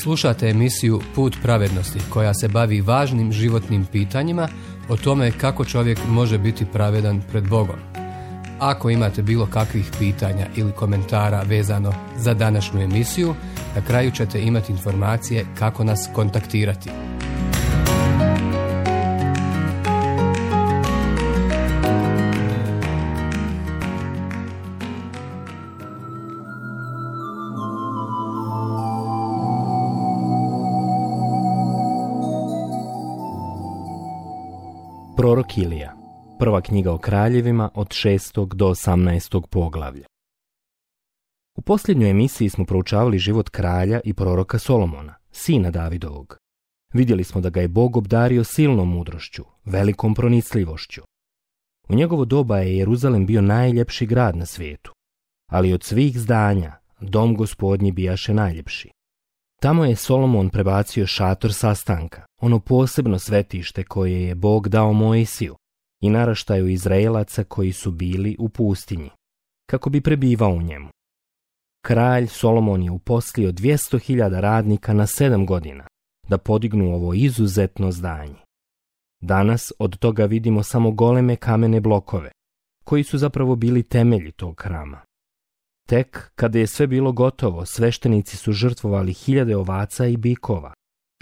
Slušate emisiju Put pravednosti koja se bavi važnim životnim pitanjima o tome kako čovjek može biti pravedan pred Bogom. Ako imate bilo kakvih pitanja ili komentara vezano za današnju emisiju, na kraju ćete imati informacije kako nas kontaktirati. Prorok Ilija, prva knjiga o kraljevima od 6. do 18. poglavlja. U posljednjoj emisiji smo proučavali život kralja i proroka Solomona, sina Davidovog. Vidjeli smo da ga je Bog obdario silnom mudrošću, velikom pronicljivošću. U njegovo doba je Jeruzalem bio najljepši grad na svijetu, ali od svih zdanja dom Gospodnji bijaše najljepši. Tamo je Solomon prebacio šator sastanka, ono posebno svetište koje je Bog dao Mojsiju i naraštaju Izraelaca koji su bili u pustinji, kako bi prebivao u njemu. Kralj Solomon je uposlio 200.000 radnika na 7 godina da podignu ovo izuzetno zdanje. Danas od toga vidimo samo goleme kamene blokove, koji su zapravo bili temelji tog hrama. Tek kada je sve bilo gotovo, sveštenici su žrtvovali 1000 ovaca i bikova,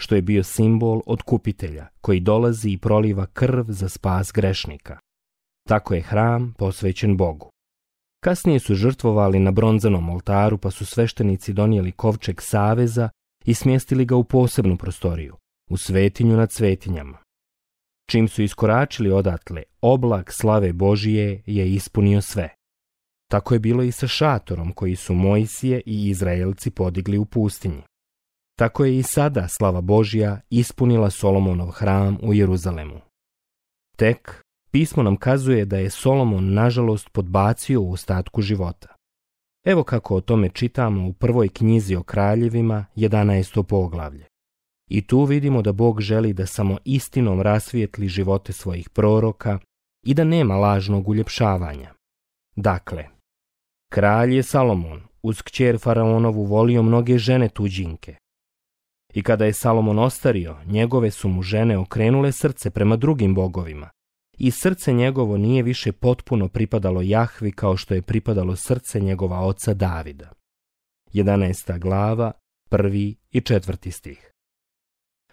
što je bio simbol otkupitelja koji dolazi i proliva krv za spas grešnika. Tako je hram posvećen Bogu. Kasnije su žrtvovali na bronzanom oltaru, pa su sveštenici donijeli kovčeg saveza i smjestili ga u posebnu prostoriju, u svetinju nad svetinjama. Čim su iskoračili odatle, oblak slave Božije je ispunio sve. Tako je bilo i sa šatorom koji su Mojsije i Izraelci podigli u pustinji. Tako je i sada slava Božja ispunila Solomonov hram u Jeruzalemu. Tek, pismo nam kazuje da je Solomon nažalost podbacio u ostatku života. Evo kako o tome čitamo u prvoj knjizi o kraljevima, 11. poglavlje. I tu vidimo da Bog želi da samo istinom rasvijetli živote svojih proroka i da nema lažnog uljepšavanja. Dakle, kralj je Salomon uz kćer faraonovu volio mnoge žene tuđinke. I kada je Salomon ostario, njegove su mu žene okrenule srce prema drugim bogovima i srce njegovo nije više potpuno pripadalo Jahvi kao što je pripadalo srce njegova oca Davida. 11. glava, 1. i 4. stih.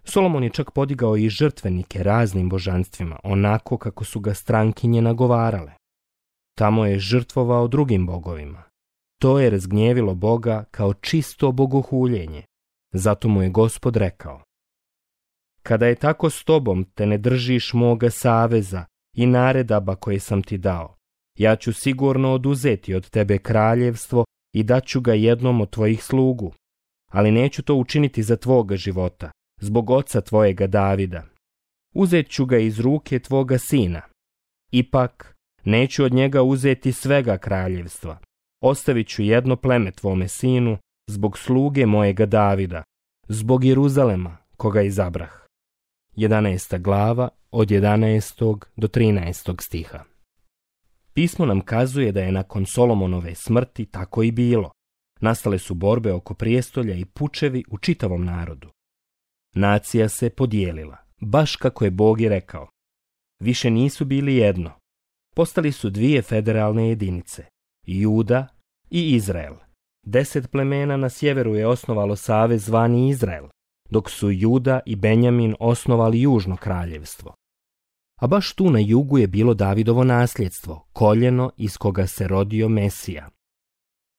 Solomon je čak podigao i žrtvenike raznim božanstvima, onako kako su ga strankinje nagovarale. Tamo je žrtvovao drugim bogovima. To je razgnjevilo Boga kao čisto bogohuljenje. Zato mu je Gospod rekao: kada je tako s tobom te ne držiš moga saveza i naredaba koje sam ti dao, ja ću sigurno oduzeti od tebe kraljevstvo i daću ga jednom od tvojih slugu, ali neću to učiniti za tvoga života, zbog oca tvojega Davida. Uzet ću ga iz ruke tvoga sina. Ipak, neću od njega uzeti svega kraljevstva. Ostavit ću jedno pleme tvome sinu, zbog sluge mojega Davida, zbog Jeruzalema, koga izabrah. 11. glava, od 11. do 13. stiha. Pismo nam kazuje da je nakon Solomonove smrti tako i bilo. Nastale su borbe oko prijestolja i pučevi u čitavom narodu. Nacija se podijelila, baš kako je Bog i rekao. Više nisu bili jedno. Postali su 2 federalne jedinice, Juda i Izrael. 10 plemena na sjeveru je osnovalo savez zvani Izrael, dok su Juda i Benjamin osnovali južno kraljevstvo. A baš tu na jugu je bilo Davidovo nasljedstvo, koljeno iz koga se rodio Mesija.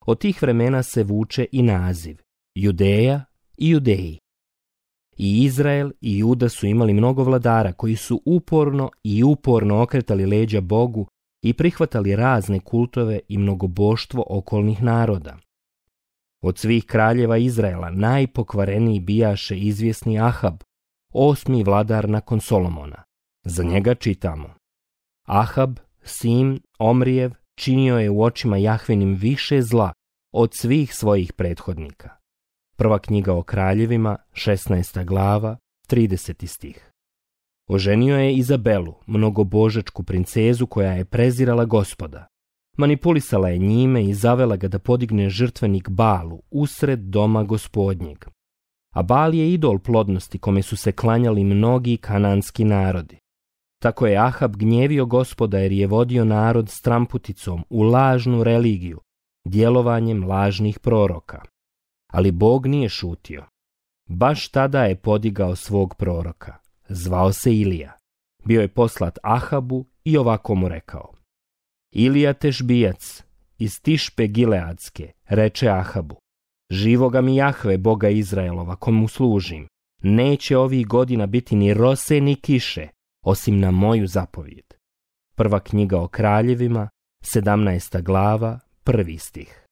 Od tih vremena se vuče i naziv Judeja i Judeji. I Izrael i Juda su imali mnogo vladara koji su uporno okretali leđa Bogu i prihvatali razne kultove i mnogoboštvo okolnih naroda. Od svih kraljeva Izraela najpokvareniji bijaše izvjesni Ahab, 8. vladar nakon Solomona. Za njega čitamo: Ahab, sin Omrijev, činio je u očima Jahvinim više zla od svih svojih prethodnika. Prva knjiga o kraljevima, 16. glava, 30. stih. Oženio je Izabelu, mnogobožačku princezu koja je prezirala Gospoda. Manipulisala je njime i zavela ga da podigne žrtvenik Balu usred doma Gospodnjeg. a Baal je idol plodnosti kome su se klanjali mnogi kananski narodi. Tako je Ahab gnjevio Gospoda jer je vodio narod stramputicom u lažnu religiju, djelovanjem lažnih proroka. Ali Bog nije šutio. Baš tada je podigao svog proroka. Zvao se Ilija. Bio je poslat Ahabu i ovako mu rekao: Ilija Tešbijac iz Tišpe Gileadske reče Ahabu: Živoga mi Jahve, Boga Izraelova, komu služim, neće ovih godina biti ni rose ni kiše, osim na moju zapovijed. Prva knjiga o kraljevima, 17. glava, 1. stih.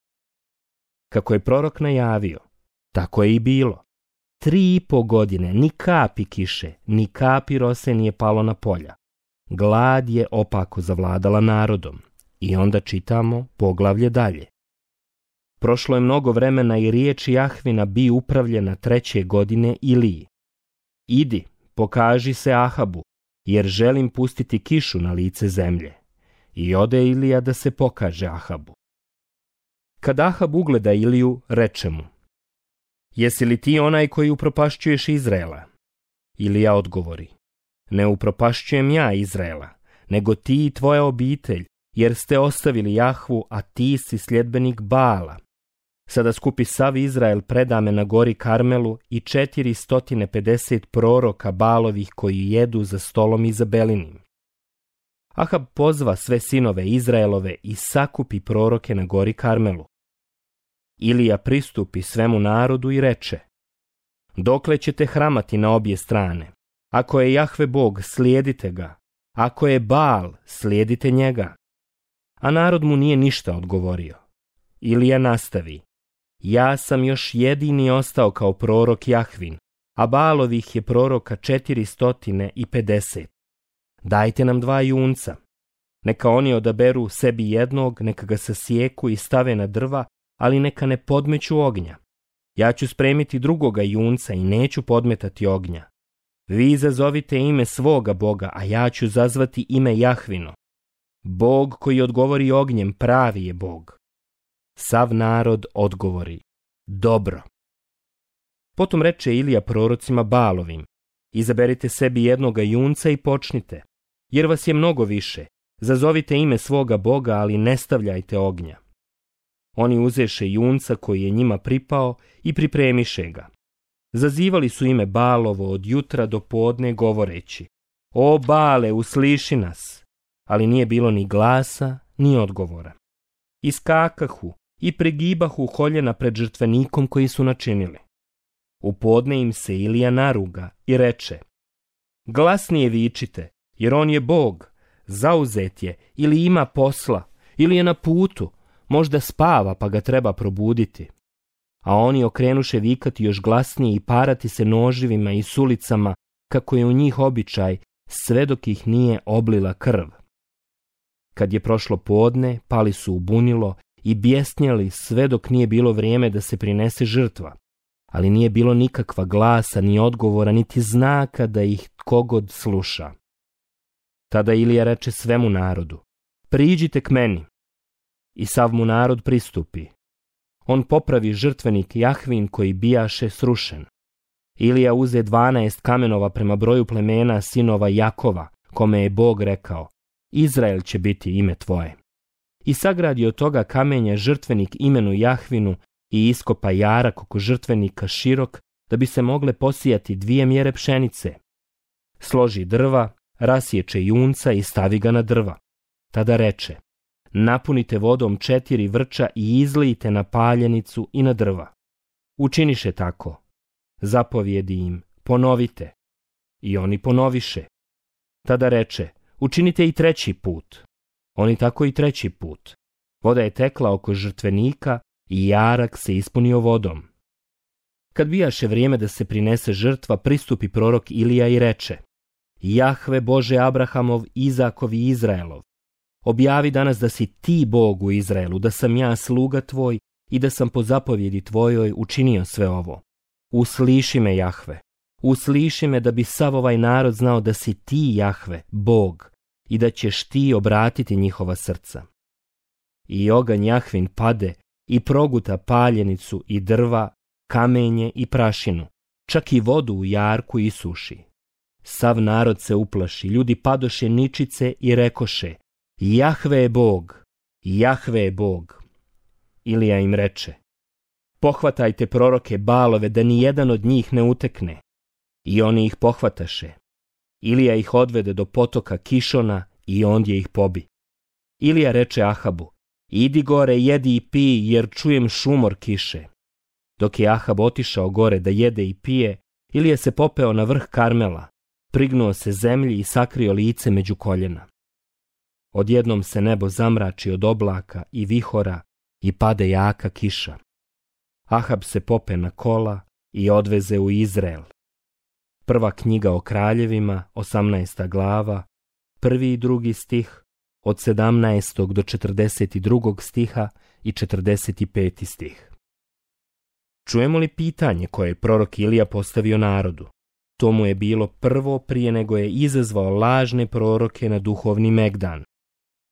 Kako je prorok najavio, tako je i bilo. 3,5 godine ni kapi kiše, ni kapi rose nije palo na polja. Glad je opako zavladala narodom. I onda čitamo poglavlje dalje. Prošlo je mnogo vremena i riječ Jahvina bi upravljena 3. godine Iliji: Idi, pokaži se Ahabu, jer želim pustiti kišu na lice zemlje. I ode Ilija da se pokaže Ahabu. Kad Ahab ugleda Iliju, reče mu: Jesi li ti onaj koji upropašćuješ Izraela? Ilija odgovori: Ne upropašćujem ja Izraela, nego ti i tvoja obitelj, jer ste ostavili Jahvu, a ti si sljedbenik Baala. Sada skupi sav Izrael predame na gori Karmelu i 450 proroka Baalovih koji jedu za stolom Izabelinim. Ahab pozva sve sinove Izraelove i sakupi proroke na gori Karmelu. Ilija pristupi svemu narodu i reče: Dokle ćete hramati na obje strane? Ako je Jahve Bog, slijedite ga. Ako je Baal, slijedite njega. A narod mu nije ništa odgovorio. Ilija nastavi: Ja sam još jedini ostao kao prorok Jahvin, a Baalovih je proroka 450. Dajte nam 2 junca. Neka oni odaberu sebi jednog, neka ga sasjeku i stave na drva, ali neka ne podmeću ognja. Ja ću spremiti drugoga junca i neću podmetati ognja. Vi zazovite ime svoga Boga, a ja ću zazvati ime Jahvino. Bog koji odgovori ognjem pravi je Bog. Sav narod odgovori: Dobro. Potom reče Ilija prorocima Baalovim: Izaberite sebi jednoga junca i počnite, jer vas je mnogo više. Zazovite ime svoga Boga, ali ne stavljajte ognja. Oni uzeše junca koji je njima pripao i pripremiše ga. Zazivali su ime Baalovo od jutra do podne govoreći: O Baale, usliši nas! Ali nije bilo ni glasa, ni odgovora. Iskakahu i pregibahu koljena pred žrtvenikom koji su načinili. U podne im se Ilija naruga i reče: Glasnije vičite, jer on je Bog, zauzet je, ili ima posla, ili je na putu, možda spava pa ga treba probuditi. A oni okrenuše vikati još glasnije i parati se noživima i sulicama, kako je u njih običaj, sve dok ih nije oblila krv. Kad je prošlo podne, pali su u bunilo i bjesnjali sve dok nije bilo vrijeme da se prinese žrtva, ali nije bilo nikakva glasa, ni odgovora, niti znaka da ih kogod sluša. Tada Ilija reče svemu narodu: Priđite k meni. I sav mu narod pristupi. On popravi žrtvenik Jahvin koji bijaše srušen. Ilija uze 12 kamenova prema broju plemena sinova Jakova, kome je Bog rekao: Izrael će biti ime tvoje. I sagradi od toga kamenja žrtvenik imenu Jahvinu i iskopa jarak oko žrtvenika širok, da bi se mogle posijati 2 mjere pšenice. Složi drva, rasječe junca i stavi ga na drva. Tada reče: Napunite vodom 4 vrča i izlijte na paljenicu i na drva. Učiniše tako. Zapovjedi im: Ponovite. I oni ponoviše. Tada reče: Učinite i 3. put. Oni tako i 3. put. Voda je tekla oko žrtvenika i jarak se ispunio vodom. Kad bijaše vrijeme da se prinese žrtva, pristupi prorok Ilija i reče: Jahve Bože Abrahamov, Izakov i Izraelov, objavi danas da si ti Bog u Izraelu, da sam ja sluga tvoj i da sam po zapovjedi tvojoj učinio sve ovo. Usliši me, Jahve, usliši me, da bi sav ovaj narod znao da si ti, Jahve, Bog, i da ćeš ti obratiti njihova srca. I oganj Jahvin pade i proguta paljenicu i drva, kamenje i prašinu, čak i vodu u jarku isuši. Sav narod se uplaši, ljudi padoše ničice i rekoše: Jahve je Bog, Jahve je Bog. Ilija im reče: Pohvatajte proroke Balove, da ni jedan od njih ne utekne. I oni ih pohvataše. Ilija ih odvede do potoka Kišona i ondje ih pobi. Ilija reče Ahabu: Idi gore, jedi i pij, jer čujem šumor kiše. Dok je Ahab otišao gore da jede i pije, Ilija se popeo na vrh Karmela, prignuo se zemlji i sakrio lice među koljena. Odjednom se nebo zamrači od oblaka i vihora i pade jaka kiša. Ahab se pope na kola i odveze u Izrael. Prva knjiga o kraljevima, 18. glava, 1. i 2. stih, od 17. do 42. stiha i 45. stih. Čujemo li pitanje koje je prorok Ilija postavio narodu? To mu je bilo prvo prije nego je izazvao lažne proroke na duhovni megdan.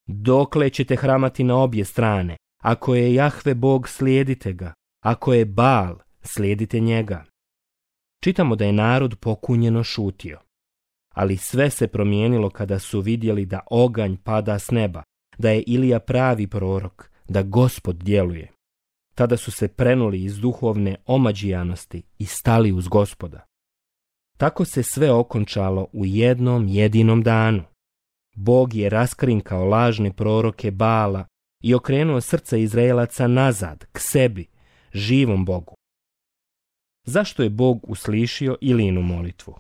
Dokle ćete hramati na obje strane? Ako je Jahve Bog, slijedite ga. Ako je Baal, slijedite njega. Čitamo da je narod pokunjeno šutio. Ali sve se promijenilo kada su vidjeli da oganj pada s neba, da je Ilija pravi prorok, da Gospod djeluje. Tada su se prenuli iz duhovne omađijanosti i stali uz Gospoda. Tako se sve okončalo u jednom jedinom danu. Bog je raskrinkao lažne proroke Baala i okrenuo srca Izraelaca nazad, k sebi, živom Bogu. Zašto je Bog uslišio Ilijinu molitvu?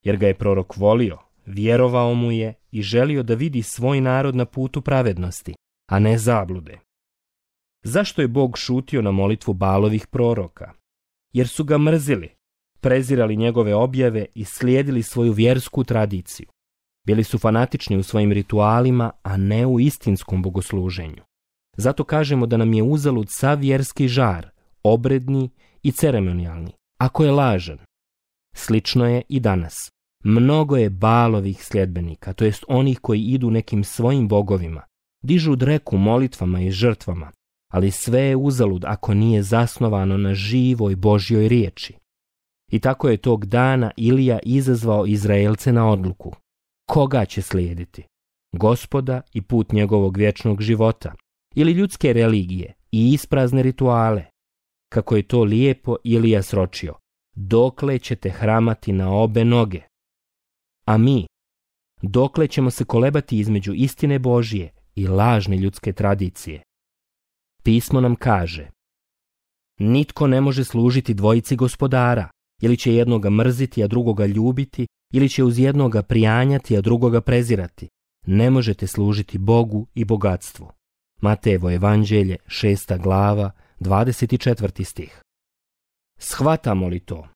Jer ga je prorok volio, vjerovao mu je i želio da vidi svoj narod na putu pravednosti, a ne zablude. Zašto je Bog šutio na molitvu Baalovih proroka? Jer su ga mrzili, prezirali njegove objave i slijedili svoju vjersku tradiciju. Bili su fanatični u svojim ritualima, a ne u istinskom bogosluženju. Zato kažemo da nam je uzalud sav vjerski žar, obredni i ceremonijalni, ako je lažan. Slično je i danas. Mnogo je Baalovih sljedbenika, to jest onih koji idu nekim svojim bogovima, dižu dreku molitvama i žrtvama, ali sve je uzalud ako nije zasnovano na živoj Božjoj riječi. I tako je tog dana Ilija izazvao Izraelce na odluku. Koga će slijediti? Gospoda i put njegovog vječnog života, ili ljudske religije i isprazne rituale? Kako je to lijepo Ilija sročio: dokle ćete hramati na obe noge? A mi, dokle ćemo se kolebati između istine Božje i lažne ljudske tradicije? Pismo nam kaže: nitko ne može služiti dvojici gospodara, ili će jednoga mrziti, a drugoga ljubiti, ili će uz jednoga prijanjati, a drugoga prezirati. Ne možete služiti Bogu i bogatstvu. Matejevo evanđelje, 6. glava, 24. stih. Shvatamo li to?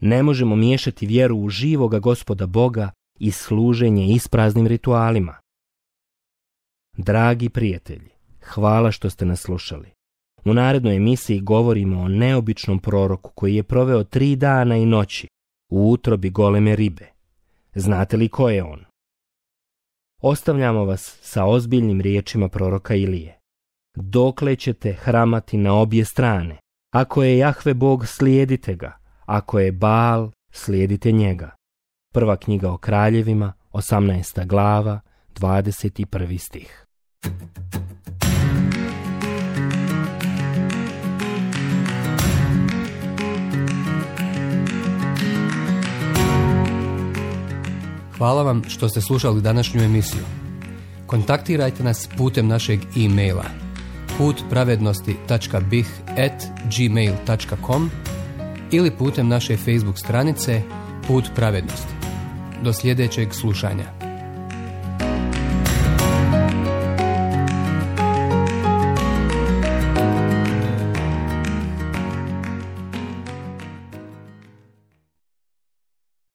Ne možemo miješati vjeru u živoga Gospoda Boga i služenje ispraznim ritualima. Dragi prijatelji, hvala što ste nas slušali. U narednoj emisiji govorimo o neobičnom proroku koji je proveo 3 dana i noći u utrobi goleme ribe. Znate li ko je on? Ostavljamo vas sa ozbiljnim riječima proroka Ilije. Dokle ćete hramati na obje strane? Ako je Jahve Bog, slijedite ga. Ako je Baal, slijedite njega. Prva knjiga o kraljevima, 18. glava, 21. stih. Hvala vam što ste slušali današnju emisiju. Kontaktirajte nas putem našeg e-maila putpravednosti.bih@gmail.com ili putem naše Facebook stranice Put pravednosti. Do sljedećeg slušanja.